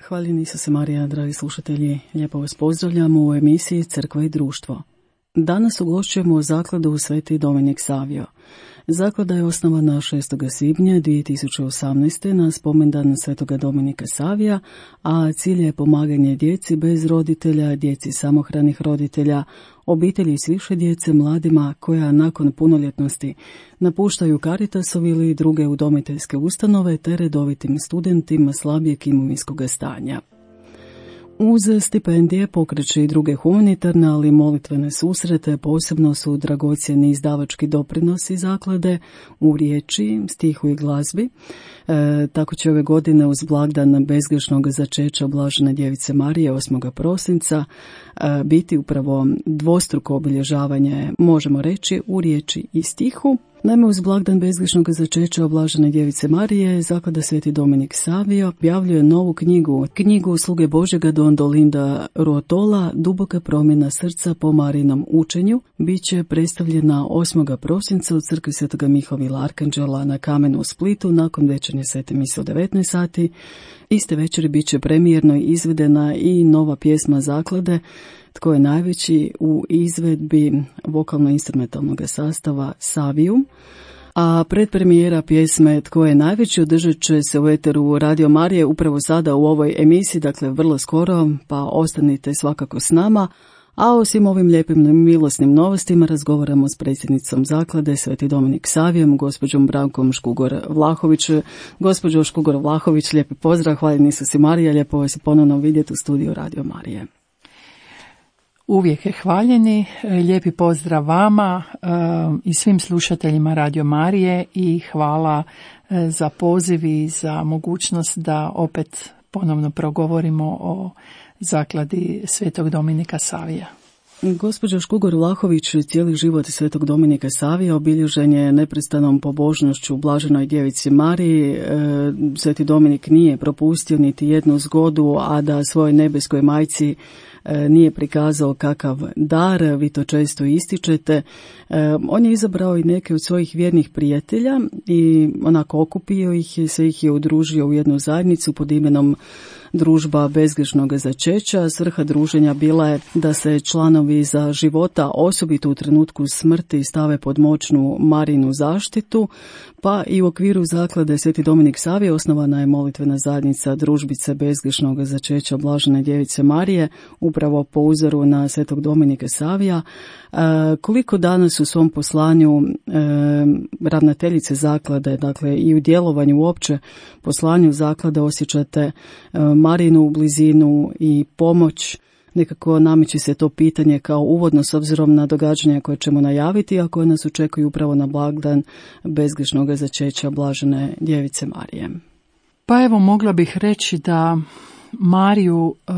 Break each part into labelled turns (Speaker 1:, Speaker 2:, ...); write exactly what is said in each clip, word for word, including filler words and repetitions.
Speaker 1: Hvaljeni Isuse Marija, dragi slušatelji, lijepo vas pozdravljamo u emisiji Crkva i društvo. Danas ugošćujemo zakladu Sveti Dominik Savio. Zaklada je osnovana šestog svibnja dvije tisuće osamnaeste. na spomendan Svetoga Dominika Savija, a cilj je pomaganje djeci bez roditelja, djeci samohranih roditelja, obitelji s više djece, mladima koja nakon punoljetnosti napuštaju Caritasov ili druge udomiteljske ustanove te redovitim studentima slabijeg imovinskog stanja. Uz stipendije pokreće i druge humanitarne, ali molitvene susrete. Posebno su dragocjeni izdavački doprinosi zaklade u riječi, stihu i glazbi. E, tako će ove godine uz blagdan bezgrešnog začeća Blažene djevice Marije osmog prosinca e, biti upravo dvostruko obilježavanje, možemo reći, u riječi i stihu. Naime, uz blagdan bezgrešnog začeća Blažene djevice Marije, zaklada Sveti Dominik Savio objavljuje novu knjigu, knjigu Sluge Božjega Don Dolinda Ruotola, Duboka promjena srca po Marijinom učenju. Biće predstavljena osmog prosinca u crkvi Svetoga Mihovila Arkanđela na Kamenu u Splitu nakon večernje svete mise u devetnaest sati. Iste večeri bit će premijerno izvedena i nova pjesma zaklade Tko je najveći u izvedbi vokalno-instrumentalnog sastava Savijum. A predpremijera pjesme Tko je najveći održat će se u eteru Radio Marije upravo sada u ovoj emisiji, dakle vrlo skoro, pa ostanite svakako s nama. A o svim ovim lijepim milosnim novostima razgovaramo s predsjednicom zaklade Sveti Dominik Savijem, gospođom Brankom Škugor-Vlahović. Gospođo Škugor-Vlahović, lijepi pozdrav, hvaljeni Isuse Marija, lijepo vas je ponovno vidjeti u studiju Radio Marije.
Speaker 2: Uvijek je hvaljeni, lijepi pozdrav vama i svim slušateljima Radio Marije i hvala za poziv i za mogućnost da opet ponovno progovorimo o zakladi Svetog Dominika Savija.
Speaker 1: Gospođo Škugor-Vlahović, cijeli život Svetog Dominika Savija obilježen je neprestanom pobožnošću Blaženoj djevici Mariji. Sveti Dominik nije propustio niti jednu zgodu, a da svojoj nebeskoj majci nije prikazao kakav dar, vi to često ističete. On je izabrao i neke od svojih vjernih prijatelja i onako okupio ih i sve ih je udružio u jednu zajednicu pod imenom Družba bezgrešnog začeća. Svrha druženja bila je da se članovi za života, osobito u trenutku smrti, stave pod moćnu Marijinu zaštitu, pa i u okviru zaklade Sveti Dominik Savije osnovana je molitvena zajednica Družbice bezgrešnog začeća Blažene djevice Marije, upravo po uzoru na Svetog Dominika Savija. E, koliko danas u svom poslanju e, ravnateljice zaklade, dakle i u djelovanju uopće poslanju zaklade osjećate e, Marijinu blizinu i pomoć? Nekako nameće se to pitanje kao uvodno s obzirom na događanja koje ćemo najaviti, a koje nas očekuju upravo na blagdan bezgrešnog začeća Blažene djevice Marije.
Speaker 2: Pa evo, mogla bih reći da Mariju e,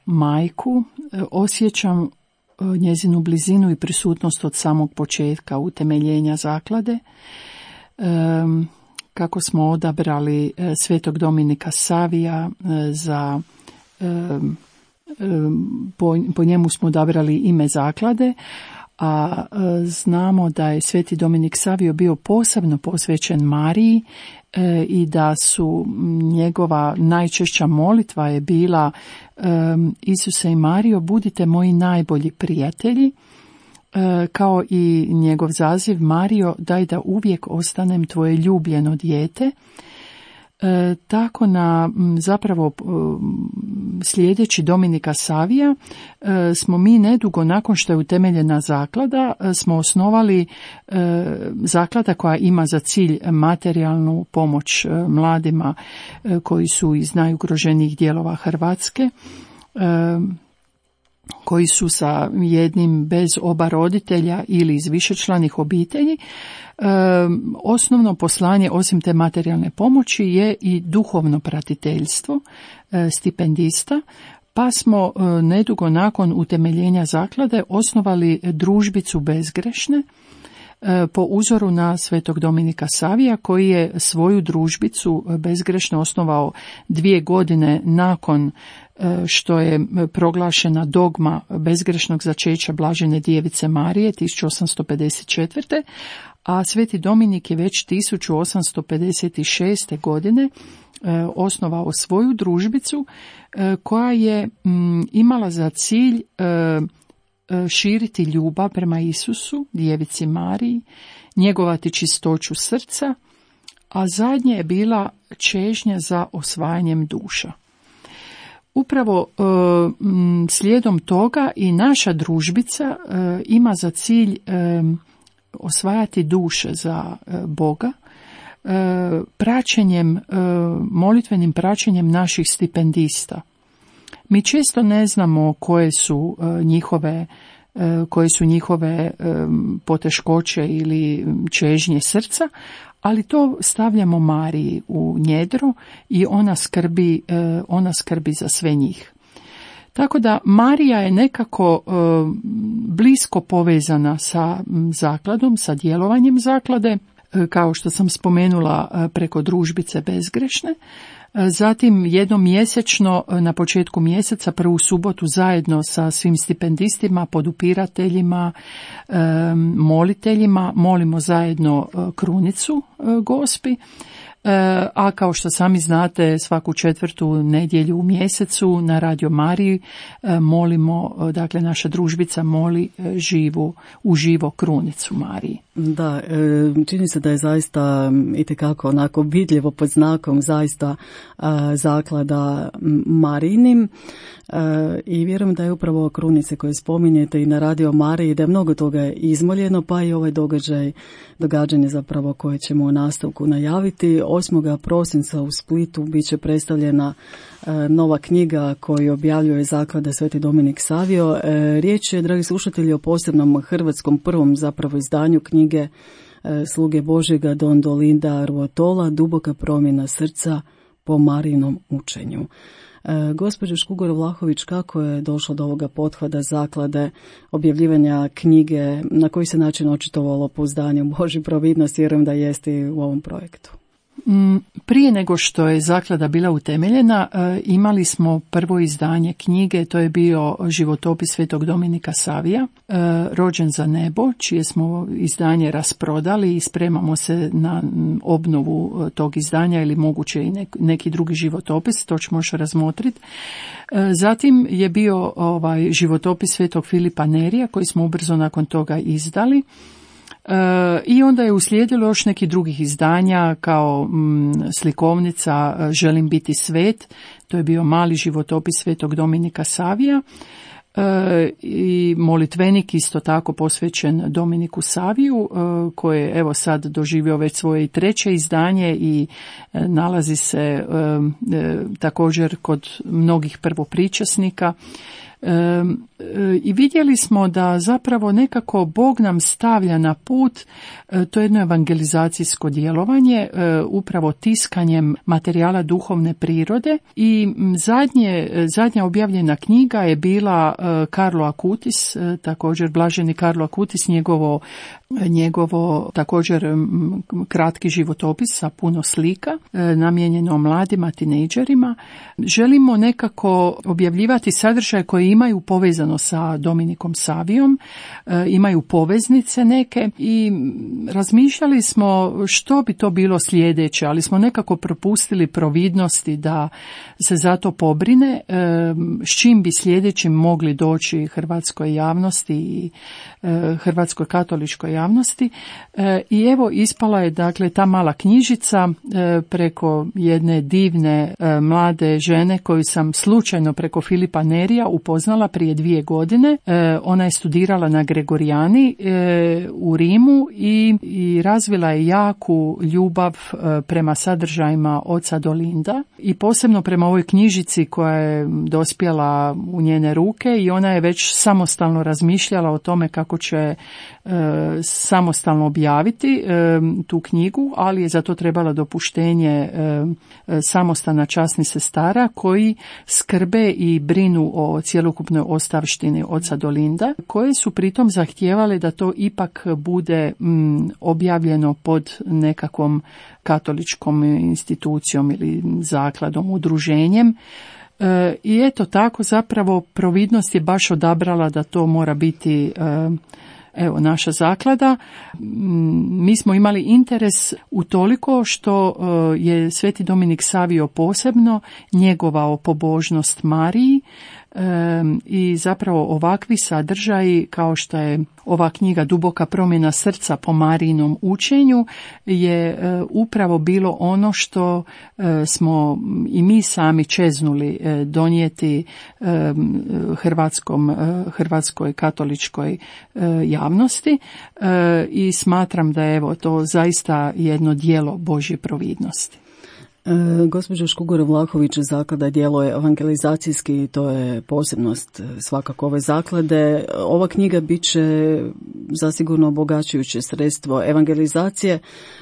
Speaker 2: majku e, osjećam e, njezinu blizinu i prisutnost od samog početka utemeljenja zaklade. E, kako smo odabrali e, Svetog Dominika Savija e, za e, Po, po njemu smo odabrali ime zaklade, a e, znamo da je Sveti Dominik Savio bio posebno posvećen Mariji e, i da su njegova najčešća molitva je bila e, Isuse i Marijo, budite moji najbolji prijatelji, e, kao i njegov zaziv Marijo, daj da uvijek ostanem tvoje ljubljeno dijete. E, tako na zapravo sljedeći Dominika Savija e, smo mi nedugo nakon što je utemeljena zaklada e, smo osnovali e, zaklada koja ima za cilj materijalnu pomoć e, mladima e, koji su iz najugroženijih dijelova Hrvatske, e, koji su sa jednim bez oba roditelja ili iz višečlanih obitelji. E, osnovno poslanje osim te materijalne pomoći je i duhovno pratiteljstvo e, stipendista, pa smo e, nedugo nakon utemeljenja zaklade osnovali družbicu bezgrešne po uzoru na svetog Dominika Savija, koji je svoju družbicu bezgrešne osnovao dvije godine nakon što je proglašena dogma bezgrešnog začeća Blažene djevice Marije tisuću osamsto pedeset četvrte. a sveti Dominik je već tisuću osamsto pedeset šeste. godine osnovao svoju družbicu koja je imala za cilj širiti ljubav prema Isusu, djevici Mariji, njegovati čistoću srca, a zadnje je bila čežnja za osvajanjem duša. Upravo slijedom toga i naša družbica ima za cilj osvajati duše za Boga, praćenjem, molitvenim praćenjem naših stipendista. Mi često ne znamo koje su njihove, koje su njihove poteškoće ili čežnje srca, ali to stavljamo Mariji u njedro i ona skrbi, ona skrbi za sve njih. Tako da Marija je nekako e, blisko povezana sa zakladom, sa djelovanjem zaklade, e, kao što sam spomenula e, preko družbice bezgrešne. E, zatim jednom mjesečno, e, na početku mjeseca, prvu subotu zajedno sa svim stipendistima, podupirateljima, e, moliteljima, molimo zajedno e, krunicu e, Gospi. A kao što sami znate, svaku četvrtu nedjelju u mjesecu na Radio Mariji molimo, dakle naša družbica moli živu, uživo krunicu Mariji.
Speaker 1: Da, čini se da je zaista itekako onako vidljivo pod znakom zaista zaklada Marijinim i vjerujem da je upravo krunice koje spominjete i na Radio Mariji, da je mnogo toga izmoljeno, pa i ovaj događaj, događanje zapravo koje ćemo u nastavku najaviti. osmog prosinca u Splitu bit će predstavljena nova knjiga koju objavljuje zaklada Sveti Dominik Savio. Riječ je, dragi slušatelji, o posebnom hrvatskom prvom zapravo izdanju knjige Sluge Božjega Don Dolinda Ruotola, Duboka promjena srca po Marijinom učenju. Gospođo Škugor-Vlahović, kako je došlo do ovoga pothvata zaklade, objavljivanja knjige, na koji se način očitovalo pouzdanje u Božju providnost, vjerujem da jeste i u ovom projektu?
Speaker 2: Prije nego što je zaklada bila utemeljena, imali smo prvo izdanje knjige, to je bio životopis svetog Dominika Savija, Rođen za nebo, čije smo izdanje rasprodali i spremamo se na obnovu tog izdanja ili moguće i neki drugi životopis, to ćemo još razmotriti. Zatim je bio ovaj životopis svetog Filipa Nerija koji smo ubrzo nakon toga izdali. I onda je uslijedilo još neki drugih izdanja kao mm, slikovnica Želim biti svet, to je bio mali životopis svetog Dominika Savija, e, i molitvenik isto tako posvećen Dominiku Saviju, e, koji je evo sad doživio već svoje treće izdanje i e, nalazi se e, e, također kod mnogih prvopričasnika. E, e, I vidjeli smo da zapravo nekako Bog nam stavlja na put e, to jedno evangelizacijsko djelovanje, e, upravo tiskanjem materijala duhovne prirode i zadnje, zadnja objavljena knjiga je bila e, Karlo Akutis, e, također blaženi Karlo Akutis, njegovo, njegovo također m, kratki životopis sa puno slika, e, namijenjeno mladima, tinejdžerima. Želimo nekako objavljivati sadržaje koji imaju povezano sa Dominikom Savijom, e, imaju poveznice neke i razmišljali smo što bi to bilo sljedeće, ali smo nekako propustili providnosti da se za to pobrine, e, s čim bi sljedećim mogli doći hrvatskoj javnosti i e, hrvatskoj katoličkoj javnosti. E, I evo ispala je dakle ta mala knjižica e, preko jedne divne e, mlade žene koju sam slučajno preko Filipa Nerija upoznala prije dvije godine. E, ona je studirala na Gregorijani e, u Rimu i, i razvila je jaku ljubav e, prema sadržajima oca Dolinda i posebno prema ovoj knjižici koja je dospjela u njene ruke i ona je već samostalno razmišljala o tome kako će e, samostalno objaviti e, tu knjigu, ali je za to trebala dopuštenje e, samostana časnih sestara koji skrbe i brinu o cjelokupnoj ostavštini oca Dolinda, koje su pritom zahtijevale da to ipak bude m, objavljeno pod nekakvom katoličkom institucijom ili zakladom, udruženjem. E, I eto tako zapravo providnost je baš odabrala da to mora biti e, evo naša zaklada. Mi smo imali interes utoliko što e, je Sveti Dominik Savio posebno njegovao pobožnost Mariji e, i zapravo ovakvi sadržaji kao što je ova knjiga Duboka promjena srca po Marijinom učenju je e, upravo bilo ono što e, smo i mi sami čeznuli e, donijeti e, hrvatskom, e, hrvatskoj katoličkoj e, javnosti e, i smatram da je evo to zaista jedno djelo Božje providnosti.
Speaker 1: E, gospođo Škugor-Vlahović, zaklada djeluje evangelizacijski i to je posebnost svakako ove zaklade. Ova knjiga bit će zasigurno obogaćujuće sredstvo evangelizacije.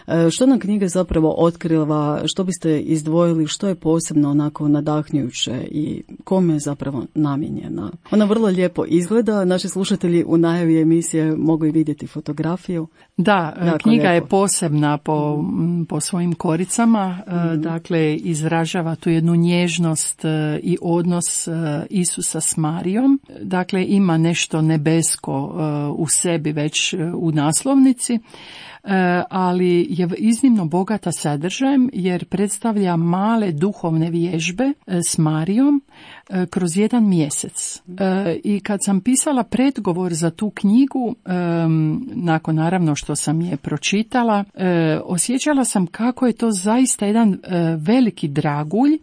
Speaker 1: E, što nam knjiga zapravo otkriva, što biste izdvojili, što je posebno onako nadahnjujuće i kome je zapravo namijenjena? Ona vrlo lijepo izgleda, naši slušatelji u najavi emisije mogu i vidjeti fotografiju.
Speaker 2: Da, jako knjiga lijepo je posebna po, po svojim koricama, mm-hmm. dakle izražava tu jednu nježnost i odnos Isusa s Marijom, dakle ima nešto nebesko u sebi već u naslovnici, ali je iznimno bogata sadržajem jer predstavlja male duhovne vježbe s Marijom kroz jedan mjesec. I kad sam pisala predgovor za tu knjigu, nakon naravno što sam je pročitala, osjećala sam kako je to zaista jedan veliki dragulj,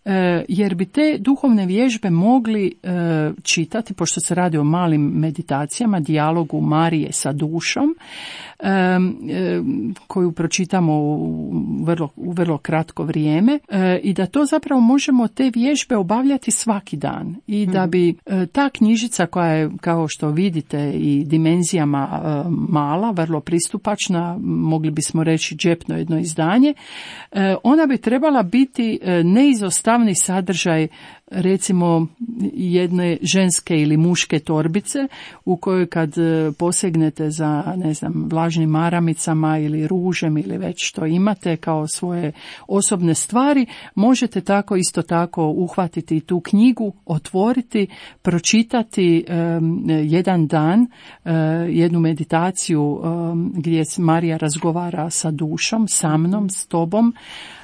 Speaker 2: jer bi te duhovne vježbe mogli čitati, pošto se radi o malim meditacijama, dijalogu Marije sa dušom, koju pročitamo u vrlo, u vrlo kratko vrijeme, i da to zapravo možemo te vježbe obavljati svaki dan i da bi ta knjižica koja je, kao što vidite, i dimenzijama mala, vrlo pristupačna, mogli bismo reći džepno jedno izdanje, ona bi trebala biti neizostavni sadržaj recimo jedne ženske ili muške torbice u kojoj kad posegnete za, ne znam, vlažnim maramicama ili ružem ili već što imate kao svoje osobne stvari, možete tako isto tako uhvatiti tu knjigu, otvoriti, pročitati um, jedan dan, uh, jednu meditaciju um, gdje Marija razgovara sa dušom, sa mnom, s tobom,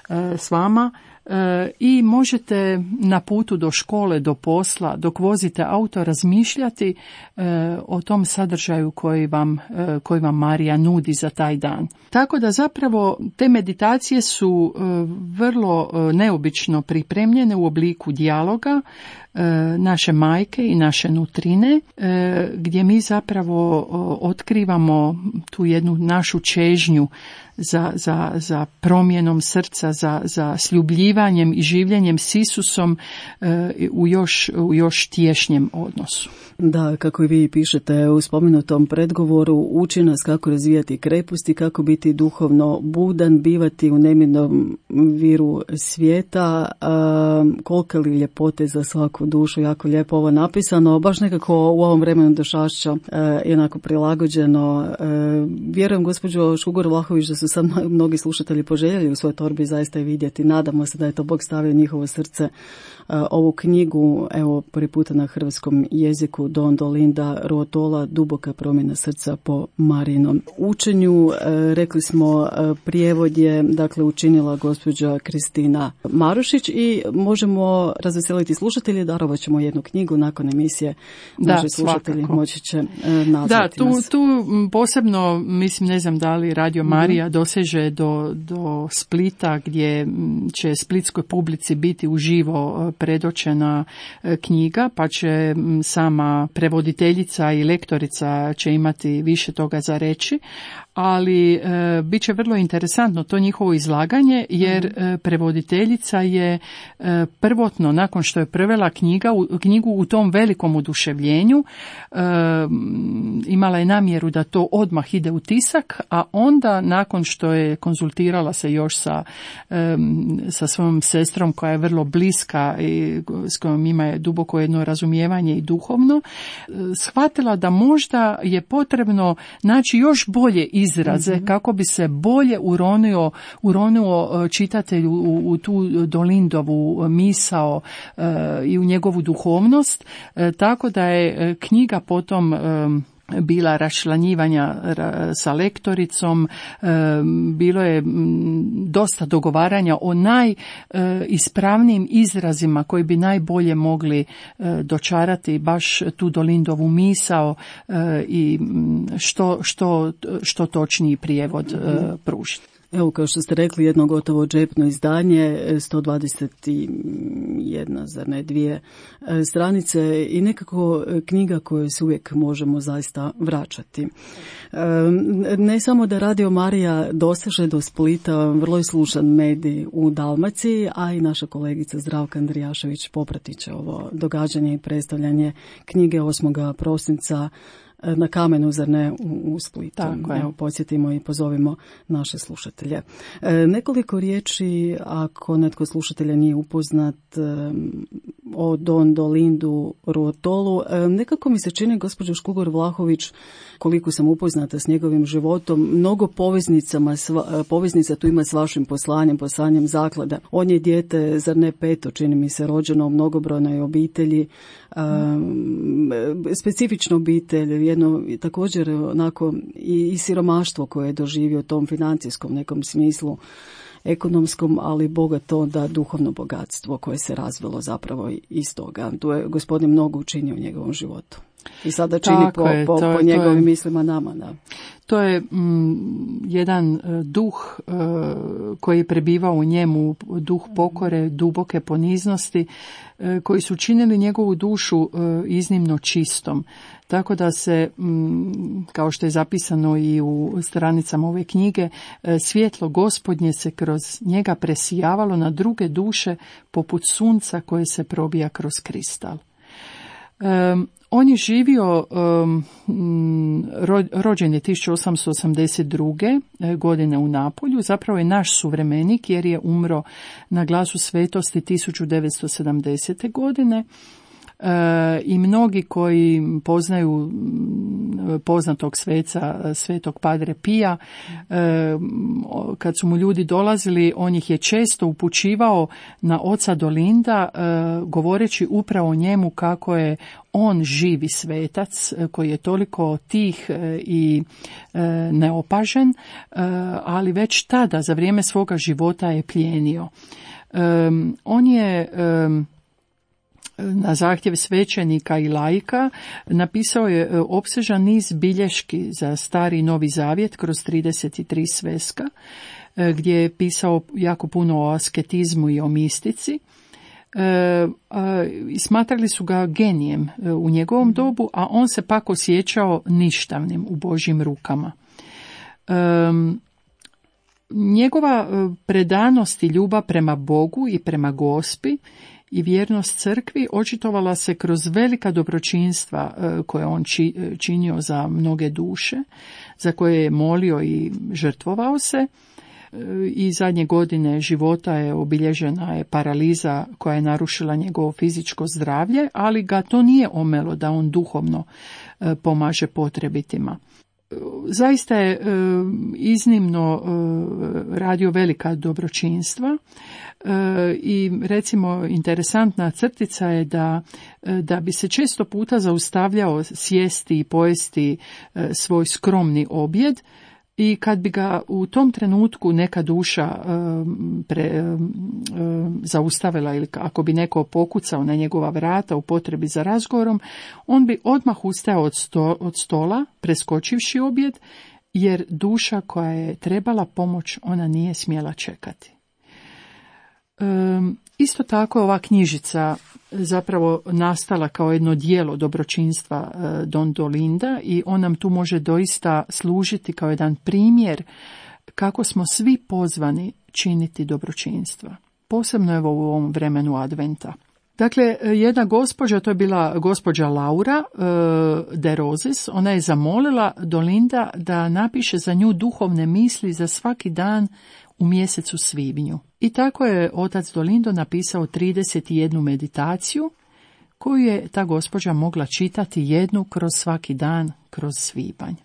Speaker 2: uh, s vama. E, i možete na putu do škole, do posla, dok vozite auto, razmišljati e, o tom sadržaju koji vam, e, koji vam Marija nudi za taj dan. Tako da zapravo te meditacije su e, vrlo e, neobično pripremljene u obliku dijaloga e, naše majke i naše nutrine, e, gdje mi zapravo o, otkrivamo tu jednu našu čežnju za, za, za promjenom srca, za, za sljubljivanjem i življenjem s Isusom e, u, još, u još tješnjem odnosu.
Speaker 1: Da, kako i vi pišete u spomenutom predgovoru, uči nas kako razvijati kreposti, kako biti duhovno budan, bivati u nemirnom viru svijeta, a, kolike li ljepote za svaku dušu, jako lijepo ovo napisano, baš nekako u ovom vremenu došašća jednako prilagođeno. A, vjerujem, gospođo Škugor-Vlahović, da su sad mnogi slušatelji poželjeli u svojoj torbi zaista i vidjeti. Nadamo se da je to Bog stavio njihovo srce. A, ovu knjigu, evo, prvi puta na hrvatskom jeziku, Don Dolinda Ruotola, Duboka promjena srca po Marijinom učenju. E, rekli smo, e, prijevod je dakle učinila gospođa Kristina Marušić i možemo razveseliti slušatelje, darovat ćemo jednu knjigu nakon emisije.
Speaker 2: Da,
Speaker 1: naši slušatelji
Speaker 2: svakako
Speaker 1: moći će e, nazvati
Speaker 2: Da, tu,
Speaker 1: nas.
Speaker 2: tu posebno, mislim, ne znam da li Radio Marija mm-hmm. doseže do, do Splita, gdje će splitskoj publici biti uživo predočena knjiga, pa će sama prevoditeljica i lektorica će imati više toga za reći, ali e, bit će vrlo interesantno to njihovo izlaganje, jer e, prevoditeljica je e, prvotno, nakon što je prevela knjiga, knjigu u tom velikom oduševljenju. E, imala je namjeru da to odmah ide u tisak, a onda nakon što je konzultirala se još sa, e, sa svojom sestrom koja je vrlo bliska i s kojom ima duboko jedno razumijevanje i duhovno, e, shvatila da možda je potrebno naći još bolje izraze mm-hmm. kako bi se bolje uronio, uronio čitatelju u, u tu Dolindovu misao e, i u njegovu duhovnost, e, tako da je knjiga potom e, bila raščlanjivanja sa lektoricom, bilo je dosta dogovaranja o najispravnijim izrazima koji bi najbolje mogli dočarati baš tu Dolindovu misao i što, što, što točniji prijevod pružiti.
Speaker 1: Evo, kao što ste rekli, jedno gotovo džepno izdanje, sto dvadeset jedna, zar ne, dvije stranice i nekako knjiga koju se uvijek možemo zaista vraćati. Ne samo da Radio Marija doseže do Splita, vrlo je slušan medij u Dalmaciji, a i naša kolegica Zdravka Andrijašević popratit će ovo događanje i predstavljanje knjige osmog prosinca na Kamenu, zar ne, u, u Splitu. Evo, podsjetimo i pozovimo naše slušatelje. E, nekoliko riječi, ako netko slušatelja nije upoznat, e, o Don Dolindu Ruotolu. E, nekako mi se čini, gospođo Škugor Vlahović, koliko sam upoznata s njegovim životom, mnogo poveznicama, sva, poveznica tu ima s vašim poslanjem, poslanjem zaklada. On je dijete, zar ne peto, čini mi se, rođeno u mnogobrojnoj obitelji, um, specifična obitelj, jedno također onako i, i siromaštvo koje je doživio u tom financijskom nekom smislu, ekonomskom, ali bogato da duhovno bogatstvo koje se razvilo zapravo iz toga. Tu je gospodin mnogo učinio u njegovom životu. I sada čini Tako po, je, po, po njegovim je, mislima nama. Da.
Speaker 2: To je mm, jedan duh uh, koji je prebivao u njemu, duh pokore, duboke poniznosti, uh, koji su činili njegovu dušu uh, iznimno čistom. Tako da se, mm, kao što je zapisano i u stranicama ove knjige, uh, svjetlo Gospodnje se kroz njega presijavalo na druge duše poput sunca koje se probija kroz kristal. Um, On je živio, um, ro, rođen je tisuću osamsto osamdeset druge godine u Napolju, zapravo je naš suvremenik jer je umro na Glasu svetosti tisuću devetsto sedamdesete godine. E, i mnogi koji poznaju poznatog sveca, svetog Padre Pija, e, kad su mu ljudi dolazili, on ih je često upućivao na oca Dolinda, e, govoreći upravo o njemu kako je on živi svetac koji je toliko tih i e, neopažen, e, ali već tada za vrijeme svoga života je plijenio. E, on je e, na zahtjev svećenika i laika napisao je opsežan niz bilješki za Stari i Novi Zavjet kroz trideset tri sveska, gdje je pisao jako puno o asketizmu i o mistici. E, a, smatrali su ga genijem u njegovom dobu, a on se pak osjećao ništavnim u Božjim rukama. E, njegova predanost i ljubav prema Bogu i prema Gospi i vjernost crkvi očitovala se kroz velika dobročinstva koje on či, činio za mnoge duše, za koje je molio i žrtvovao se. I zadnje godine života je obilježena je paraliza koja je narušila njegovo fizičko zdravlje, ali ga to nije omelo da on duhovno pomaže potrebitima. Zaista je iznimno radio velika dobročinstva i recimo interesantna crtica je da, da bi se često puta zaustavljao sjesti i pojesti svoj skromni objed, i kad bi ga u tom trenutku neka duša um, pre, um, zaustavila ili ako bi neko pokucao na njegova vrata u potrebi za razgovorom, on bi odmah ustajao od, sto, od stola, preskočivši objed, jer duša koja je trebala pomoć, ona nije smjela čekati. Um, isto tako ova knjižica zapravo nastala kao jedno djelo dobročinstva Don Dolinda i on nam tu može doista služiti kao jedan primjer kako smo svi pozvani činiti dobročinstva. Posebno evo u ovom vremenu adventa. Dakle, jedna gospođa, to je bila gospođa Laura uh, de Roses, ona je zamolila Dolinda da napiše za nju duhovne misli za svaki dan u mjesecu svibnju. I tako je otac Dolindo napisao trideset jednu meditaciju koju je ta gospođa mogla čitati jednu kroz svaki dan, kroz svibanj.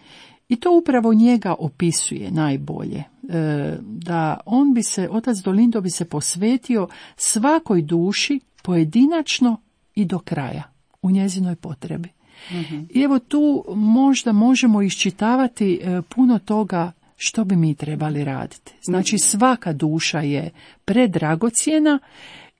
Speaker 2: I to upravo njega opisuje najbolje, e, da on bi se, otac Dolindo bi se posvetio svakoj duši pojedinačno i do kraja, u njezinoj potrebi. Mm-hmm. I evo tu možda možemo iščitavati e, puno toga što bi mi trebali raditi. Znači svaka duša je predragocjena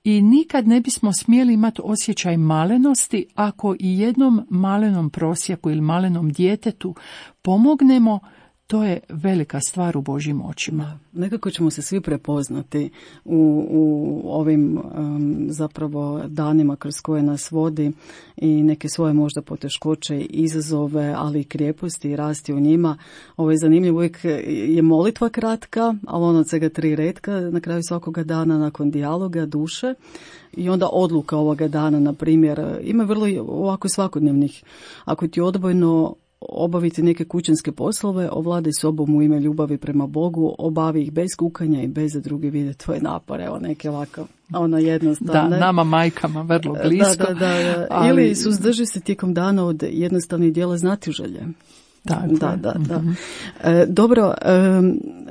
Speaker 2: i nikad ne bismo smjeli imati osjećaj malenosti ako i jednom malenom prosjaku ili malenom djetetu pomognemo. To je velika stvar u Božjim očima.
Speaker 1: Nekako ćemo se svi prepoznati u, u ovim um, zapravo danima kroz koje nas vodi i neke svoje možda poteškoće i izazove, ali i krijeposti i rasti u njima. Ovo je zanimljivo, uvijek je molitva kratka, ali ono od svega tri retka na kraju svakoga dana nakon dijaloga duše. I onda odluka ovoga dana, na primjer, ima vrlo ovako svakodnevnih. Ako ti odbojno obaviti neke kućanske poslove, ovladaj sobom u ime ljubavi prema Bogu, obavi ih bez kukanja i bez da drugi vide tvoje napore, evo neke ovako, ono jednostavno.
Speaker 2: Da, nama majkama vrlo blisko.
Speaker 1: Da, da, da, ali... Ili suzdrži se tijekom dana od jednostavnih dijela znatiželje.
Speaker 2: Da,
Speaker 1: da, da, da. Mm-hmm. E, dobro, e,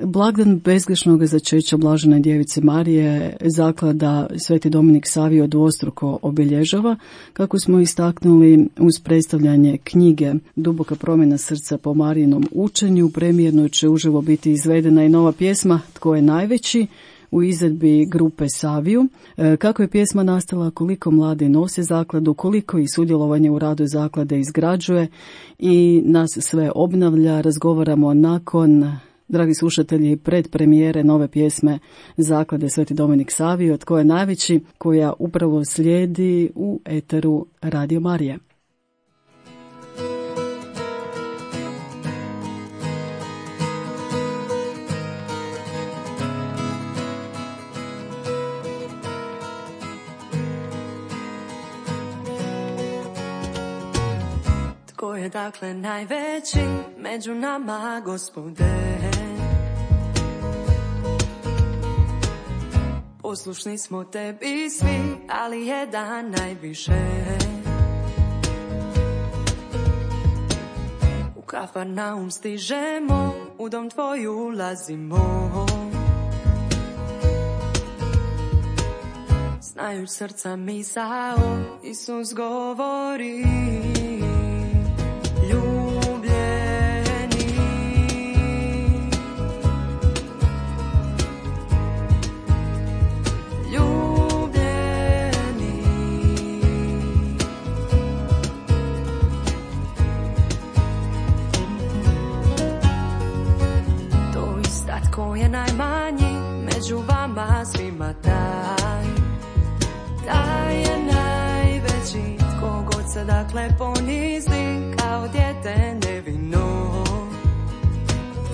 Speaker 1: blagdan bezgrešnog začeća Blažene djevice Marije zaklada Sveti Dominik Savio dvostruko obilježava, kako smo istaknuli uz predstavljanje knjige Duboka promjena srca po Marijinom učenju. Premijerno će uživo biti izvedena i nova pjesma Tko je najveći, u izvedbi grupe Saviju. E, kako je pjesma nastala, koliko mladi nose zakladu, koliko i sudjelovanje u radu zaklade izgrađuje i nas sve obnavlja, razgovaramo nakon, dragi slušatelji, pred premijere nove pjesme zaklade Sveti Dominik Savio, Tko je najveći, koja upravo slijedi u eteru Radio Marije.
Speaker 3: Tko je dakle najveći među nama, Gospode? Poslušni smo tebi svi, ali jedan najviše. U Kafarnaum stižemo, u dom tvoj ulazimo. Znajuć srca misao, Isus govori. Tko je najmanji među vama svima, taj, taj je najveći. Tko god se dakle ponizi kao dijete nevino,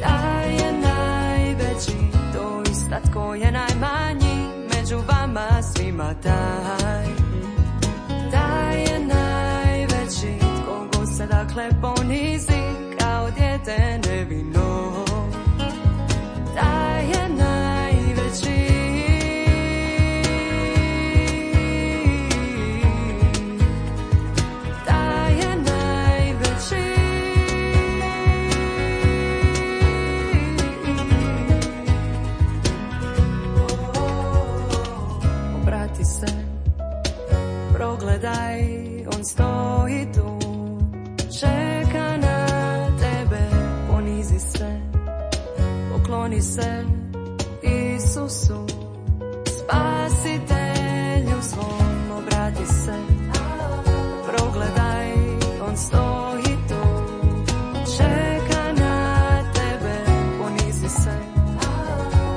Speaker 3: taj je najveći. Doista tko je najmanji među vama svima, taj, taj je najveći. Tko god se dakle ponizi kao dijete nevino, taj je najveći. Taj je najveći. Obrati se, progledaj, on stoji tu, čeka na tebe, ponizi se, pokloni se Isusu, spasitelju svom. Obrati se, progledaj, on stoji tu, čeka na tebe, ponizi se,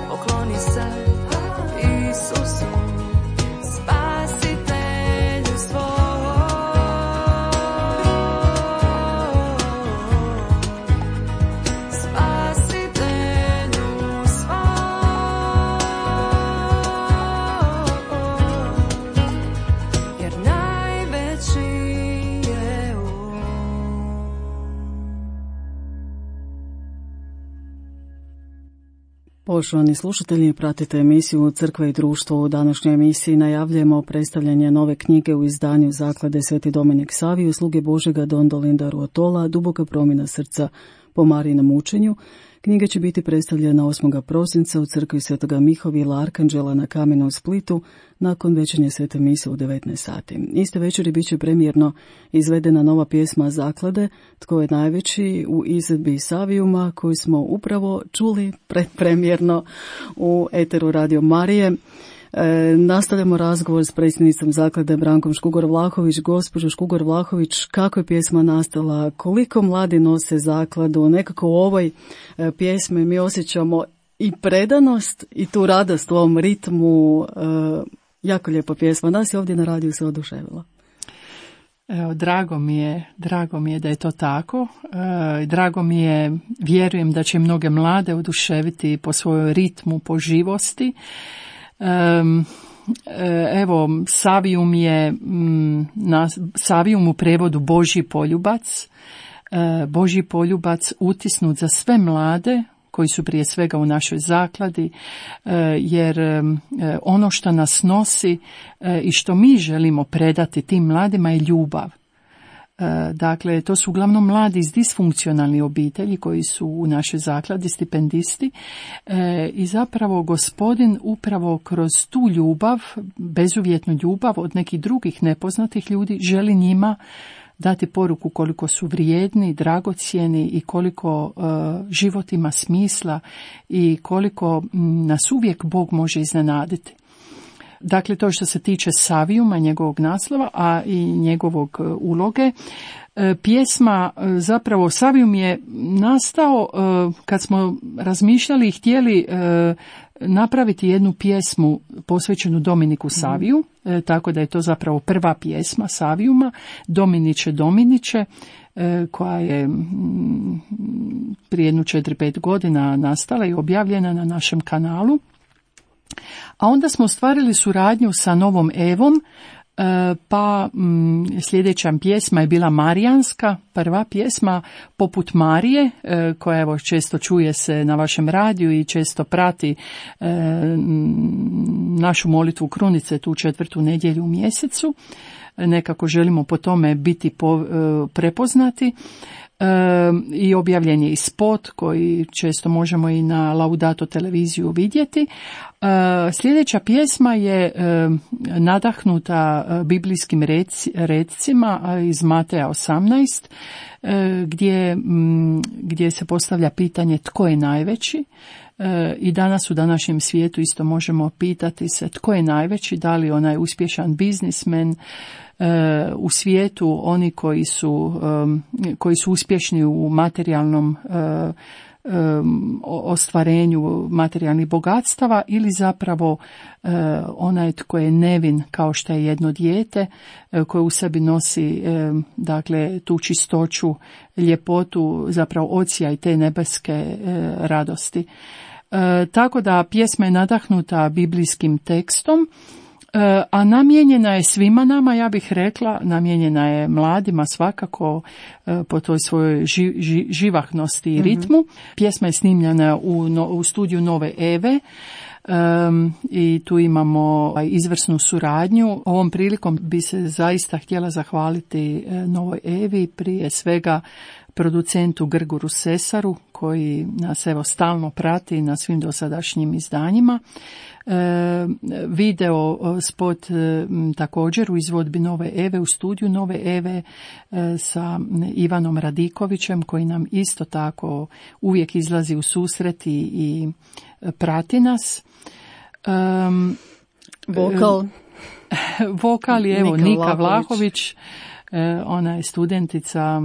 Speaker 3: pokloni se Isusu, spasitelju svom.
Speaker 1: Poštovani slušatelji, pratite emisiju Crkva i društvo. U današnjoj emisiji najavljujemo predstavljanje nove knjige u izdanju Zaklade Sveti Dominik Savio, sluge Božega Don Dolinda Ruotola, Duboka promjena srca po Marijinom učenju. Knjiga će biti predstavljena osmog prosinca u crkvi Svetoga Mihovila Arkanđela na Kamenu u Splitu nakon večernje svete mise u devetnaest sati. Iste večeri bit će premijerno izvedena nova pjesma Zaklade Tko je najveći u izvedbi Savijuma koju smo upravo čuli predpremjerno u eteru Radio Marije. E, nastavljamo razgovor s predsjednicom Zaklade Brankom Škugor-Vlahović. Gospođo Škugor-Vlahović, kako je pjesma nastala, koliko mladi nose zakladu, nekako u ovoj e, pjesmi mi osjećamo i predanost i tu radost u ovom ritmu, e, jako lijepa pjesma, nas je ovdje na radiju se oduševila.
Speaker 2: Evo, drago mi je, drago mi je da je to tako, e, drago mi je, vjerujem da će mnoge mlade oduševiti po svojoj ritmu, po živosti. Um, evo, Savijum je m, na Savijum u prevodu Božji poljubac, e, Božji poljubac utisnut za sve mlade koji su prije svega u našoj zakladi, e, jer e, ono što nas nosi e, i što mi želimo predati tim mladima je ljubav. Dakle, to su uglavnom mladi iz disfunkcionalnih obitelji koji su u našoj zakladi stipendisti e, i zapravo Gospodin upravo kroz tu ljubav, bezuvjetnu ljubav od nekih drugih nepoznatih ljudi, želi njima dati poruku koliko su vrijedni, dragocjeni i koliko e, život ima smisla i koliko m, nas uvijek Bog može iznenaditi. Dakle, to što se tiče Savijuma, njegovog naslova, a i njegovog uloge. E, pjesma, zapravo Savijum je nastao e, kad smo razmišljali i htjeli e, napraviti jednu pjesmu posvećenu Dominiku Saviju, e, tako da je to zapravo prva pjesma Savijuma, Dominiče, Dominiče, e, koja je m, prije jednu četiri pet godina nastala i objavljena na našem kanalu. A onda smo ostvarili suradnju sa Novom Evom, pa sljedeća pjesma je bila Marijanska, prva pjesma poput Marije, koja evo često čuje se na vašem radiju i često prati našu molitvu krunice tu četvrtu nedjelju u mjesecu. Nekako želimo po tome biti prepoznati. E, i objavljen je i spot koji često možemo i na Laudato televiziju vidjeti. E, sljedeća pjesma je e, nadahnuta biblijskim rec, recima iz Mateja osamnaest, e, gdje, m, gdje se postavlja pitanje tko je najveći. E, I danas u današnjem svijetu isto možemo pitati se tko je najveći, da li onaj uspješan biznismen, u svijetu, oni koji su, koji su uspješni u materijalnom ostvarenju materijalnih bogatstava ili zapravo onaj tko je nevin kao što je jedno dijete koje u sebi nosi dakle tu čistoću, ljepotu, zapravo odsjaj te nebeske radosti. Tako da pjesma je nadahnuta biblijskim tekstom, a namijenjena je svima nama, ja bih rekla, namijenjena je mladima svakako po toj svojoj ži, ži, živahnosti i ritmu. Mm-hmm. Pjesma je snimljena u, no, u studiju Nove Eve um, i tu imamo izvrsnu suradnju. Ovom prilikom bi se zaista htjela zahvaliti Novoj Evi, prije svega producentu Grgoru Sesaru koji nas evo stalno prati na svim dosadašnjim izdanjima. E, video spot e, također u izvodbi Nove Eve, u studiju Nove Eve e, sa Ivanom Radikovićem koji nam isto tako uvijek izlazi u susret i, i prati nas. E,
Speaker 1: Vokal.
Speaker 2: E, vokal je evo
Speaker 1: Nika,
Speaker 2: Nika
Speaker 1: Vlahović.
Speaker 2: Vlahović. Ona je studentica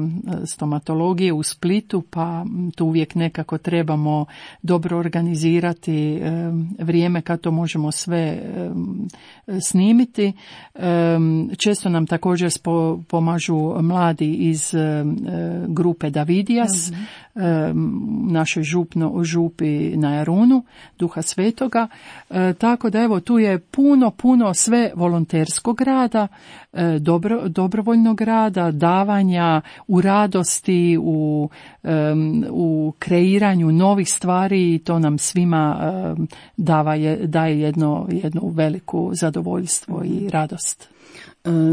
Speaker 2: stomatologije u Splitu, pa tu uvijek nekako trebamo dobro organizirati vrijeme kad to možemo sve snimiti. Često nam također pomažu mladi iz grupe Davidijas, mm-hmm. našoj župno, župi na Jarunu, Duha Svetoga. Tako da evo tu je puno, puno sve volonterskog rada, dobro, dobrovoljnog aktivnog rada, davanja, u radosti, u, um, u kreiranju novih stvari i to nam svima um, dava je, daje jedno, jedno veliku zadovoljstvo i radost.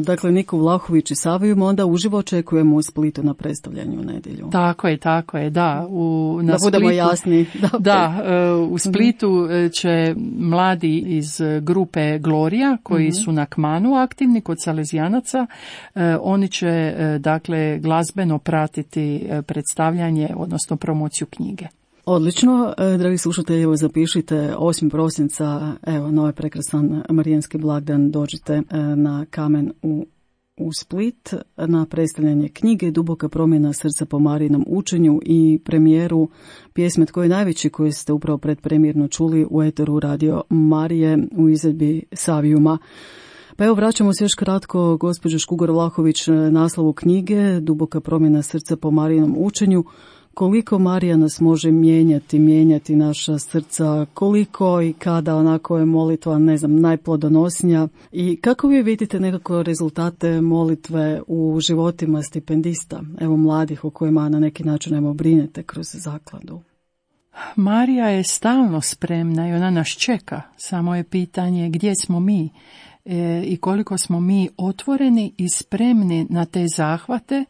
Speaker 1: Dakle, Niku Vlahović i Saviju onda uživo očekujemo u Splitu na predstavljanju u nedjelju.
Speaker 2: Tako je, tako je, da. U, na
Speaker 1: da budemo
Speaker 2: Splitu,
Speaker 1: jasni. Da,
Speaker 2: da, u Splitu će mladi iz grupe Gloria, koji uh-huh. su na Kmanu aktivni kod Salezijanaca, oni će, dakle, glazbeno pratiti predstavljanje, odnosno promociju knjige.
Speaker 1: Odlično, dragi slušatelji, evo zapišite osmog prosinca, evo, novi prekrasan marijanski blagdan, dođite na Kamen u, u Split na predstavljanje knjige Duboka promjena srca po Marijinom učenju i premijeru pjesme Tko je najveći, koju ste upravo predpremjerno čuli u eteru Radio Marije u izvedbi Savijuma. Pa evo, vraćamo se još kratko, gospođo Škugor Vlahović, naslovu knjige Duboka promjena srca po Marijinom učenju. Koliko Marija nas može mijenjati, mijenjati naša srca, koliko i kada onako je molitva, ne znam, najplodonosnija i kako vi vidite nekako rezultate molitve u životima stipendista, evo mladih o kojima na neki način evo brinete kroz zakladu?
Speaker 2: Marija je stalno spremna i ona nas čeka, samo je pitanje gdje smo mi e, i koliko smo mi otvoreni i spremni na te zahvate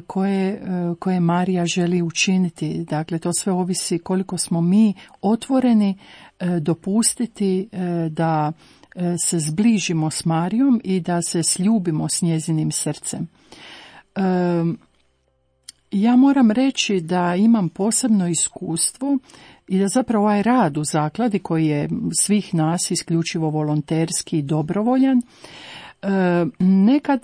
Speaker 2: Koje, koje Marija želi učiniti. Dakle, to sve ovisi koliko smo mi otvoreni dopustiti da se zbližimo s Marijom i da se sljubimo s njezinim srcem. Ja moram reći da imam posebno iskustvo i da zapravo ovaj rad u zakladi, koji je svih nas isključivo volonterski i dobrovoljan, nekad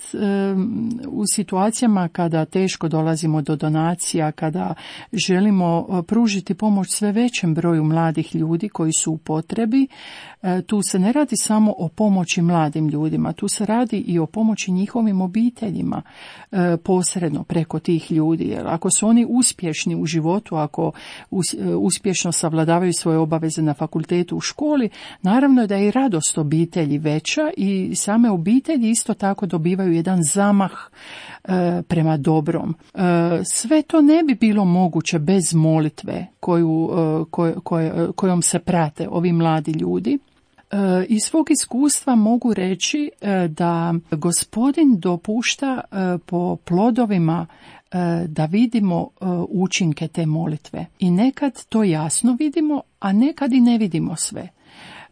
Speaker 2: u situacijama kada teško dolazimo do donacija, kada želimo pružiti pomoć sve većem broju mladih ljudi koji su u potrebi, tu se ne radi samo o pomoći mladim ljudima, tu se radi i o pomoći njihovim obiteljima posredno preko tih ljudi. Jer ako su oni uspješni u životu, ako uspješno savladavaju svoje obaveze na fakultetu, u školi, naravno je da je i radost obitelji veća i same obitelji isto tako dobivaju jedan zamah e, prema dobrom. E, sve to ne bi bilo moguće bez molitve koju, e, koj, koj, kojom se prate ovi mladi ljudi. E, iz svog iskustva mogu reći e, da Gospodin dopušta e, po plodovima e, da vidimo e, učinke te molitve. I nekad to jasno vidimo, a nekad i ne vidimo sve.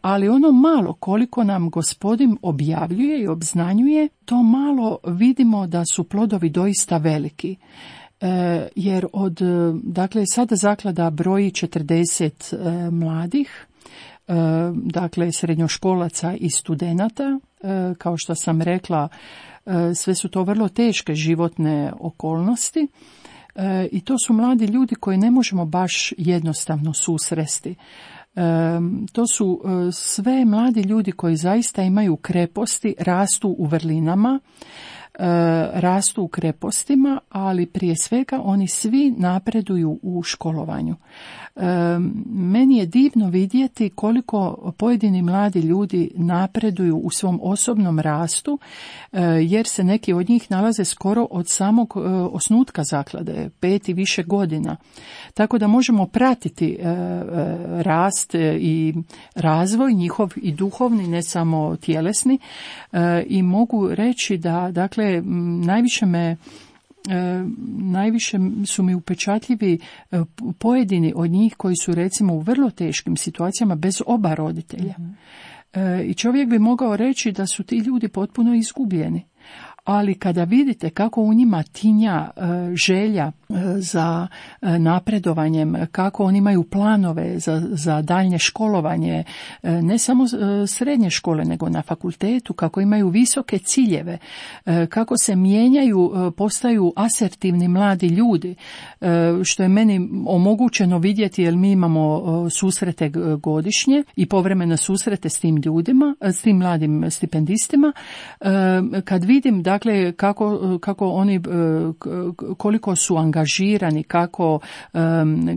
Speaker 2: Ali ono malo koliko nam Gospodin objavljuje i obznanjuje, to malo vidimo da su plodovi doista veliki. E, jer od, dakle, sada zaklada broji četrdeset e, mladih, e, dakle, srednjoškolaca i studenata. E, kao što sam rekla, e, sve su to vrlo teške životne okolnosti. E, I to su mladi ljudi koji ne možemo baš jednostavno susresti. E, to su e, sve mladi ljudi koji zaista imaju kreposti, rastu u vrlinama, e, rastu u krepostima, ali prije svega oni svi napreduju u školovanju. E, meni je divno vidjeti koliko pojedini mladi ljudi napreduju u svom osobnom rastu, e, jer se neki od njih nalaze skoro od samog e, osnutka zaklade, pet i više godina. Tako da možemo pratiti e, e, rast i razvoj njihov i duhovni, ne samo tjelesni, e, i mogu reći da, dakle, najviše me E, najviše su mi upečatljivi e, pojedini od njih koji su recimo u vrlo teškim situacijama bez oba roditelja. Mm-hmm. E, I čovjek bi mogao reći da su ti ljudi potpuno izgubljeni. Ali kada vidite kako u njima tinja e, želja e, za e, napredovanjem, kako oni imaju planove za, za daljnje školovanje, e, ne samo e, srednje škole, nego na fakultetu, kako imaju visoke ciljeve, e, kako se mijenjaju, e, postaju asertivni mladi ljudi, e, što je meni omogućeno vidjeti jer mi imamo e, susrete godišnje i povremene susrete s tim ljudima, s tim mladim stipendistima. E, kad vidim da dakle kako, kako oni, koliko su angažirani, kako,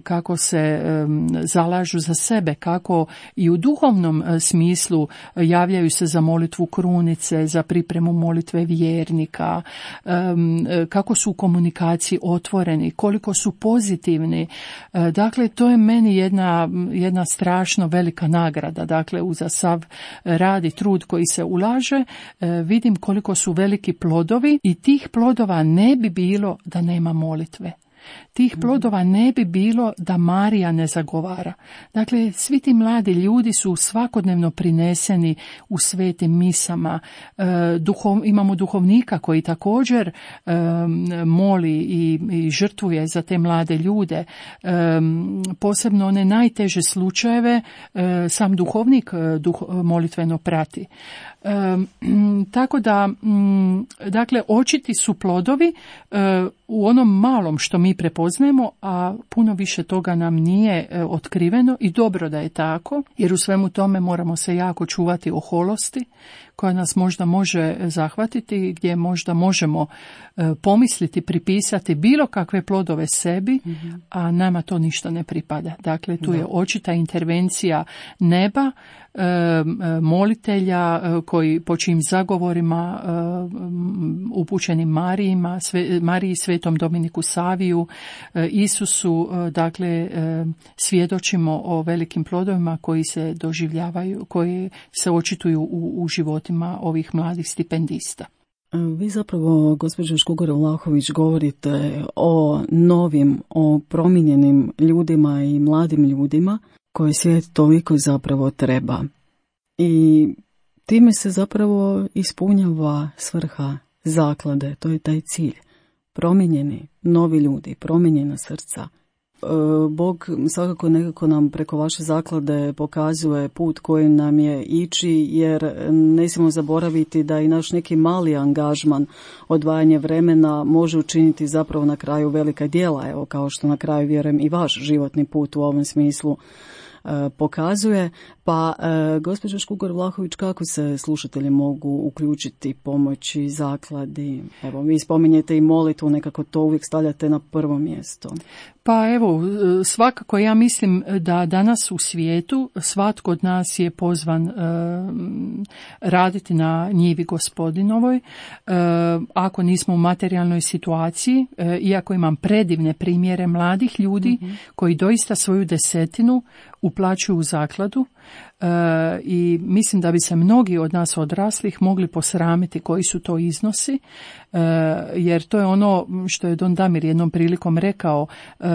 Speaker 2: kako se zalažu za sebe, kako i u duhovnom smislu javljaju se za molitvu krunice, za pripremu molitve vjernika, kako su u komunikaciji otvoreni, koliko su pozitivni. Dakle, to je meni jedna, jedna strašno velika nagrada. Dakle, uza sav rad i trud koji se ulaže, vidim koliko su veliki plodovi i tih plodova ne bi bilo da nema molitve. Tih plodova ne bi bilo da Marija ne zagovara. Dakle, svi ti mladi ljudi su svakodnevno prineseni u svetim misama. E, duhov, imamo duhovnika koji također e, moli i, i žrtvuje za te mlade ljude. E, posebno one najteže slučajeve e, sam duhovnik duh, molitveno prati. E, tako da, m, dakle, očiti su plodovi e, u onom malom što mi prepoznajemo, a puno više toga nam nije e, otkriveno i dobro da je tako, jer u svemu tome moramo se jako čuvati oholosti koja nas možda može zahvatiti, gdje možda možemo e, pomisliti, pripisati bilo kakve plodove sebi, mm-hmm. a nama to ništa ne pripada. Dakle, tu da. je očita intervencija neba, e, molitelja e, koji po čijim zagovorima e, upućenim Marijima, sve, Mariji, Svetom Dominiku Saviju, e, Isusu, e, dakle, e, svjedočimo o velikim plodovima koji se doživljavaju, koji se očituju u, u životima ovih mladih stipendista.
Speaker 1: Vi zapravo, gospođo Škugor-Vlahović, govorite o novim, o promijenjenim ljudima i mladim ljudima koje svijet toliko zapravo treba. I time se zapravo ispunjava svrha zaklade, to je taj cilj. Promijenjeni, novi ljudi, promijenjena srca. Bog svakako nekako nam preko vaše zaklade pokazuje put kojim nam je ići, jer ne smijemo zaboraviti da i naš neki mali angažman, odvajanje vremena može učiniti zapravo na kraju velika djela, evo kao što na kraju vjerujem i vaš životni put u ovom smislu pokazuje. Pa, gospođo Škugor-Vlahović, kako se slušatelji mogu uključiti, pomoći zakladi? Evo, vi spominjete i molitvu, nekako to uvijek stavljate na prvo mjesto.
Speaker 2: Pa evo, svakako ja mislim da danas u svijetu svatko od nas je pozvan e, raditi na njivi Gospodinovoj. E, ako nismo u materijalnoj situaciji, e, iako imam predivne primjere mladih ljudi mm-hmm. koji doista svoju desetinu uplaćuju u zakladu, e, i mislim da bi se mnogi od nas odraslih mogli posramiti koji su to iznosi, e, jer to je ono što je Don Damir jednom prilikom rekao, e,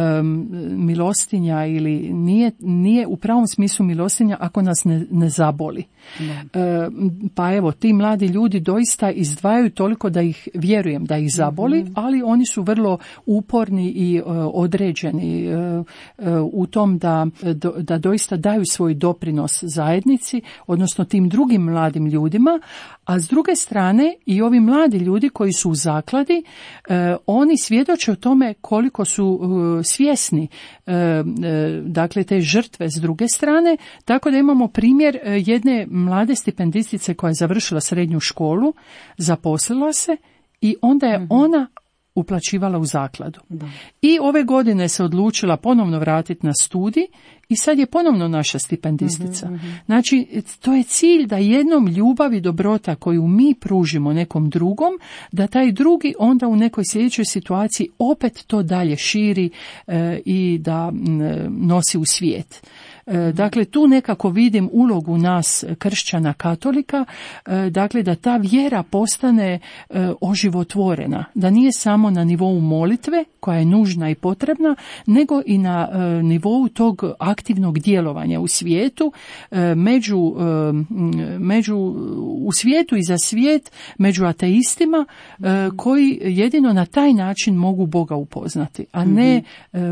Speaker 2: milostinja ili nije, nije u pravom smislu milostinja ako nas ne, ne zaboli. E, pa evo, ti mladi ljudi doista izdvajaju toliko da ih, vjerujem da ih zaboli, mm-hmm. ali oni su vrlo uporni i e, određeni e, e, u tom da, do, da doista daju svoj doprinos zajednici, odnosno tim drugim mladim ljudima, a s druge strane i ovi mladi ljudi koji su u zakladi, e, oni svjedoče o tome koliko su e, svjesni e, e, dakle te žrtve s druge strane, tako da imamo primjer e, jedne mlade stipendistice koja je završila srednju školu, zaposlila se i onda je mm-hmm. ona uplaćivala u zakladu. Da. I ove godine se odlučila ponovno vratiti na studij i sad je ponovno naša stipendistica. Mm-hmm. Znači, to je cilj da jednom ljubav i dobrota koju mi pružimo nekom drugom, da taj drugi onda u nekoj sljedećoj situaciji opet to dalje širi e, i da m, nosi u svijet. Dakle, tu nekako vidim ulogu nas kršćana katolika, dakle da ta vjera postane oživotvorena, da nije samo na nivou molitve koja je nužna i potrebna, nego i na nivou tog aktivnog djelovanja u svijetu, među, među, u svijetu i za svijet, među ateistima koji jedino na taj način mogu Boga upoznati, a ne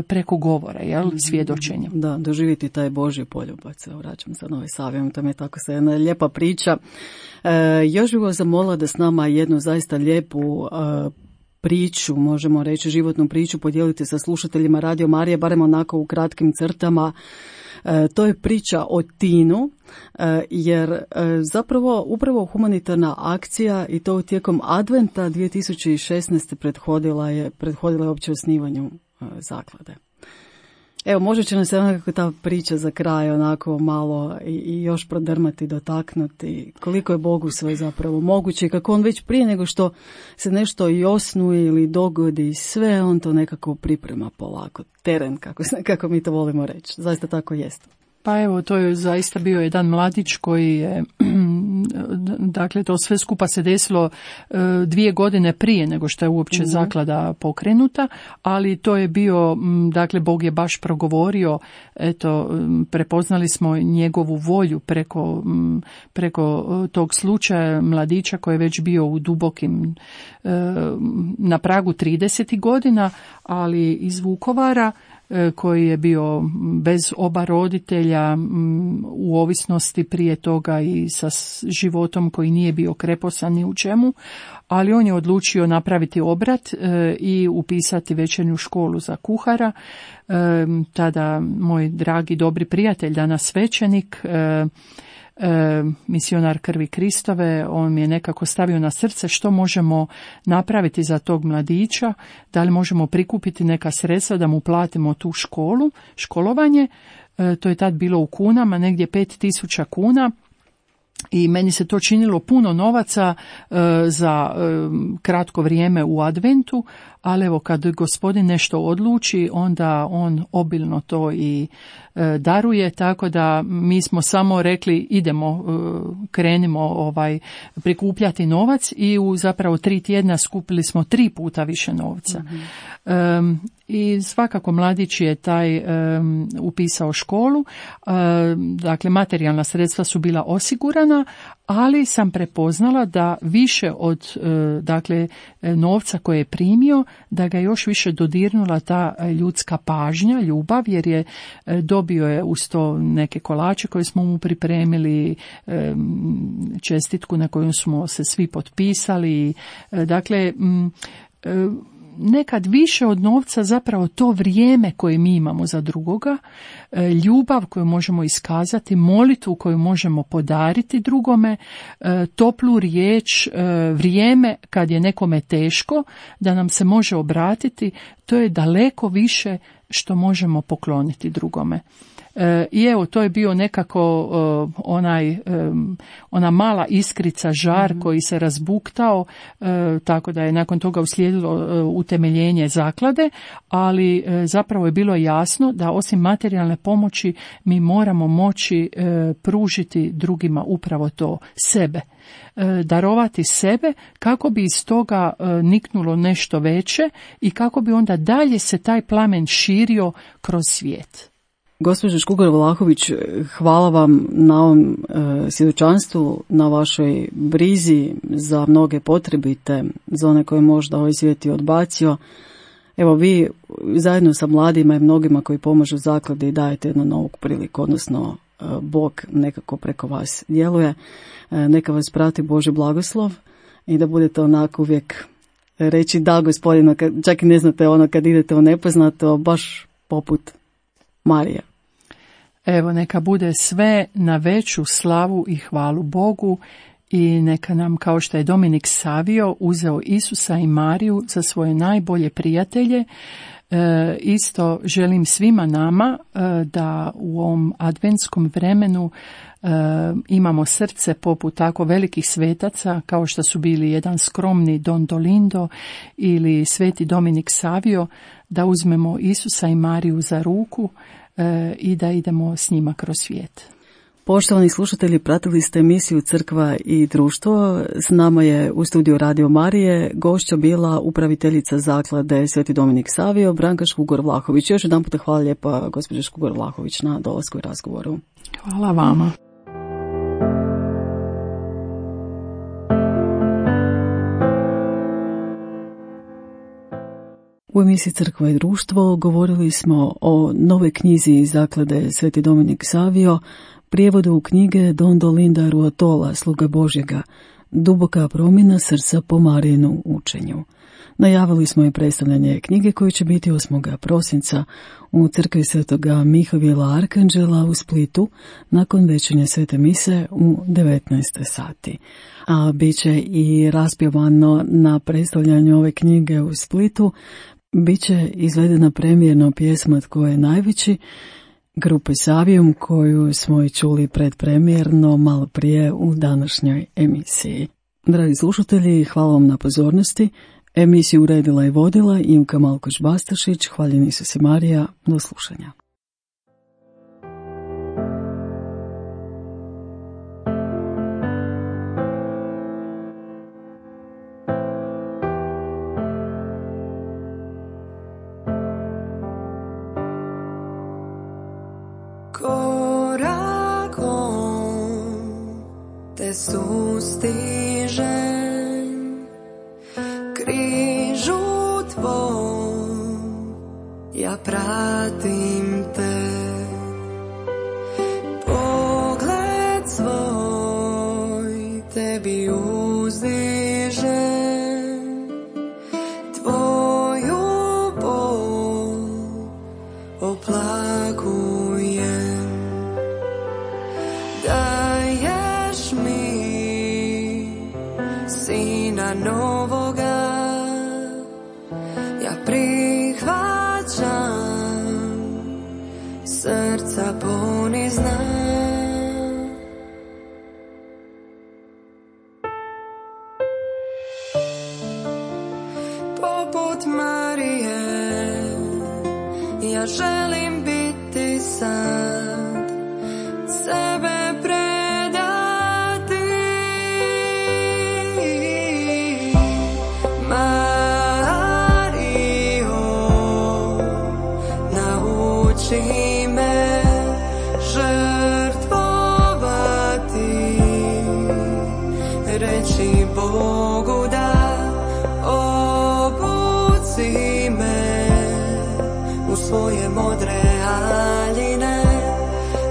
Speaker 2: preko govora, jel, svjedočenja.
Speaker 1: Da, doživjeti taj Božji poljubac. Vraćam se na ovaj Savijom, to je tako se jedna lijepa priča. E, još bih vas zamolila da s nama jednu zaista lijepu e, priču, možemo reći životnu priču, podijeliti sa slušateljima Radio Marije, barem onako u kratkim crtama. E, to je priča o Tinu, e, jer e, zapravo upravo humanitarna akcija i to tijekom Adventa dvije tisuće šesnaeste prethodila je, prethodila je opće osnivanju e, zaklade. Evo, možda će nam se onako ta priča za kraj onako malo i, i još prodrmati, dotaknuti koliko je Bogu sve zapravo moguće i kako on već prije nego što se nešto i osnuje ili dogodi, sve on to nekako priprema polako, teren, kako, kako mi to volimo reći. Zaista tako jest.
Speaker 2: Pa evo, to je zaista bio jedan mladić koji je, dakle, to sve skupa se desilo dvije godine prije nego što je uopće mm-hmm. zaklada pokrenuta, ali to je bio, dakle, Bog je baš progovorio, eto, prepoznali smo njegovu volju preko, preko tog slučaja mladića koji je već bio u dubokim, na pragu tridesetih godina, ali iz Vukovara, koji je bio bez oba roditelja, u ovisnosti prije toga i sa životom koji nije bio kreposan ni u čemu, ali on je odlučio napraviti obrat i upisati večernju školu za kuhara. Tada moj dragi dobri prijatelj, danas svećenik, E, misionar Krvi Kristove, on mi je nekako stavio na srce što možemo napraviti za tog mladića, da li možemo prikupiti neka sredstva da mu platimo tu školu, školovanje. E, to je tad bilo u kunama, negdje pet tisuća kuna. I meni se to činilo puno novaca e, za e, kratko vrijeme u adventu, ali evo kad gospodin nešto odluči, onda on obilno to i e, daruje, tako da mi smo samo rekli idemo, e, krenimo ovaj, prikupljati novac i u zapravo tri tjedna skupili smo tri puta više novca. Mm-hmm. E, I svakako mladić je taj um, upisao školu, uh, dakle materijalna sredstva su bila osigurana, ali sam prepoznala da više od uh, dakle novca koje je primio, da ga još više dodirnula ta ljudska pažnja, ljubav, jer je uh, dobio je uz to neke kolače koje smo mu pripremili, um, čestitku na koju smo se svi potpisali, uh, dakle um, uh, nekad više od novca zapravo to vrijeme koje mi imamo za drugoga, ljubav koju možemo iskazati, molitvu koju možemo podariti drugome, toplu riječ, vrijeme kad je nekome teško da nam se može obratiti, to je daleko više što možemo pokloniti drugome. I evo, to je bio nekako uh, onaj, um, ona mala iskrica, žar mm-hmm. koji se razbuktao, uh, tako da je nakon toga uslijedilo uh, utemeljenje zaklade, ali uh, zapravo je bilo jasno da osim materijalne pomoći mi moramo moći uh, pružiti drugima upravo to, sebe. Uh, darovati sebe kako bi iz toga uh, niknulo nešto veće i kako bi onda dalje se taj plamen širio kroz svijet.
Speaker 1: Gospođo Škugar-Vlahović, hvala vam na ovom e, svjedočanstvu, na vašoj brizi za mnoge potrebite, za one koje možda ovaj svijet i odbacio. Evo, vi zajedno sa mladima i mnogima koji pomažu zakladi dajete jednu novu priliku, odnosno e, Bog nekako preko vas djeluje. E, neka vas prati Božji blagoslov i da budete onako uvijek reći da gospodinu, čak i ne znate ono kad idete u nepoznato, baš poput Marija.
Speaker 2: Evo, neka bude sve na veću slavu i hvalu Bogu i neka nam, kao što je Dominik Savio uzeo Isusa i Mariju za svoje najbolje prijatelje, e, isto želim svima nama e, da u ovom adventskom vremenu e, imamo srce poput tako velikih svetaca kao što su bili jedan skromni Don Dolindo ili sveti Dominik Savio, da uzmemo Isusa i Mariju za ruku i da idemo s njima kroz svijet.
Speaker 1: Poštovani slušatelji, pratili ste emisiju Crkva i društvo. S nama je u studiju Radio Marije gošća bila upraviteljica zaklade Sveti Dominik Savio, Branka Škugar-Vlahović. Još jedan puta hvala lijepa gospođo Škugar-Vlahović na dolasku i razgovoru.
Speaker 2: Hvala vama.
Speaker 1: U emisiji Crkva i društvo govorili smo o novoj knjizi zaklade Sveti Dominik Savio, prijevodu knjige Don Dolinda Ruotola, sluga Božjega, duboka promjena srca po Marijinu učenju. Najavili smo i predstavljanje knjige koje će biti osmog prosinca u crkvi Svetoga Mihovila Arkanđela u Splitu nakon večernje svete mise u devetnaest sati. A bit će i raspjevano na predstavljanju ove knjige u Splitu, bit će izvedena premijerno pjesma Tko je najveći, grupe Savium, koju smo i čuli predpremijerno malo prije u današnjoj emisiji. Dragi slušatelji, hvala vam na pozornosti. Emisiju uredila i vodila Imka Malkoš-Bastašić. Hvaljeni su si Marija. Do slušanja.
Speaker 3: Te sustižem, križu tvoj, ja pratim te, pogled svoj tebi uzdižem, tvoju bol oplakujem, daješ mi Sina novoga, ja prihvaćam, srca ponizna. Poput Marije, ja želim biti sad, sebe nauči me žrtvovati, reći Bogu da, obuci me u svoje modre haljine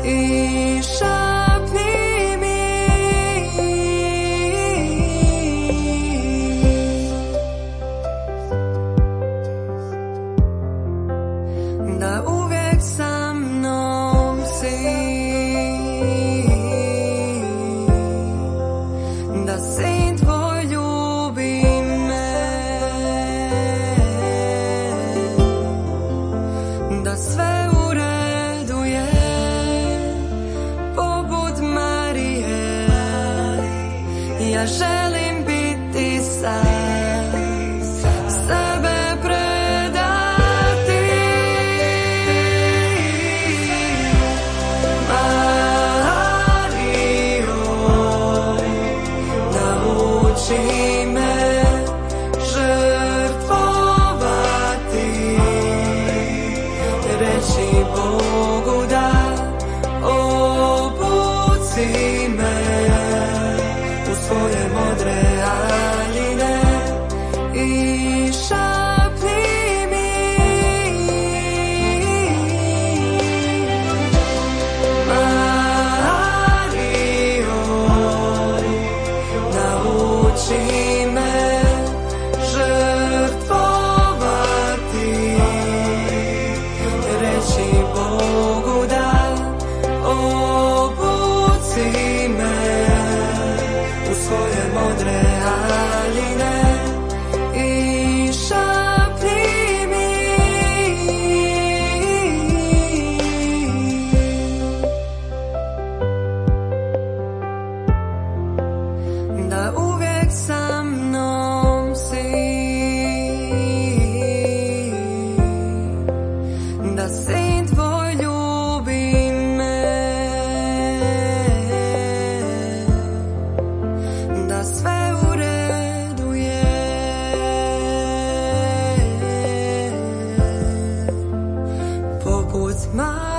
Speaker 3: i šapni mi da uvijek sa mnom si, da sin tvoj ljubi me, da sve u redu je, poput Marije, ja želim biti sad, sebe nauči me žrtvovati, reći Bogu da, obuci me u svoje modre haljine i šapni mi Marijo, nauči me žrtvovati, reći Bogu da, obuci me u svoje modre haljine i šapni mi da uvijek sa mnom si, da sin tvoj ljubi me, da sve u redu je, poput Marije.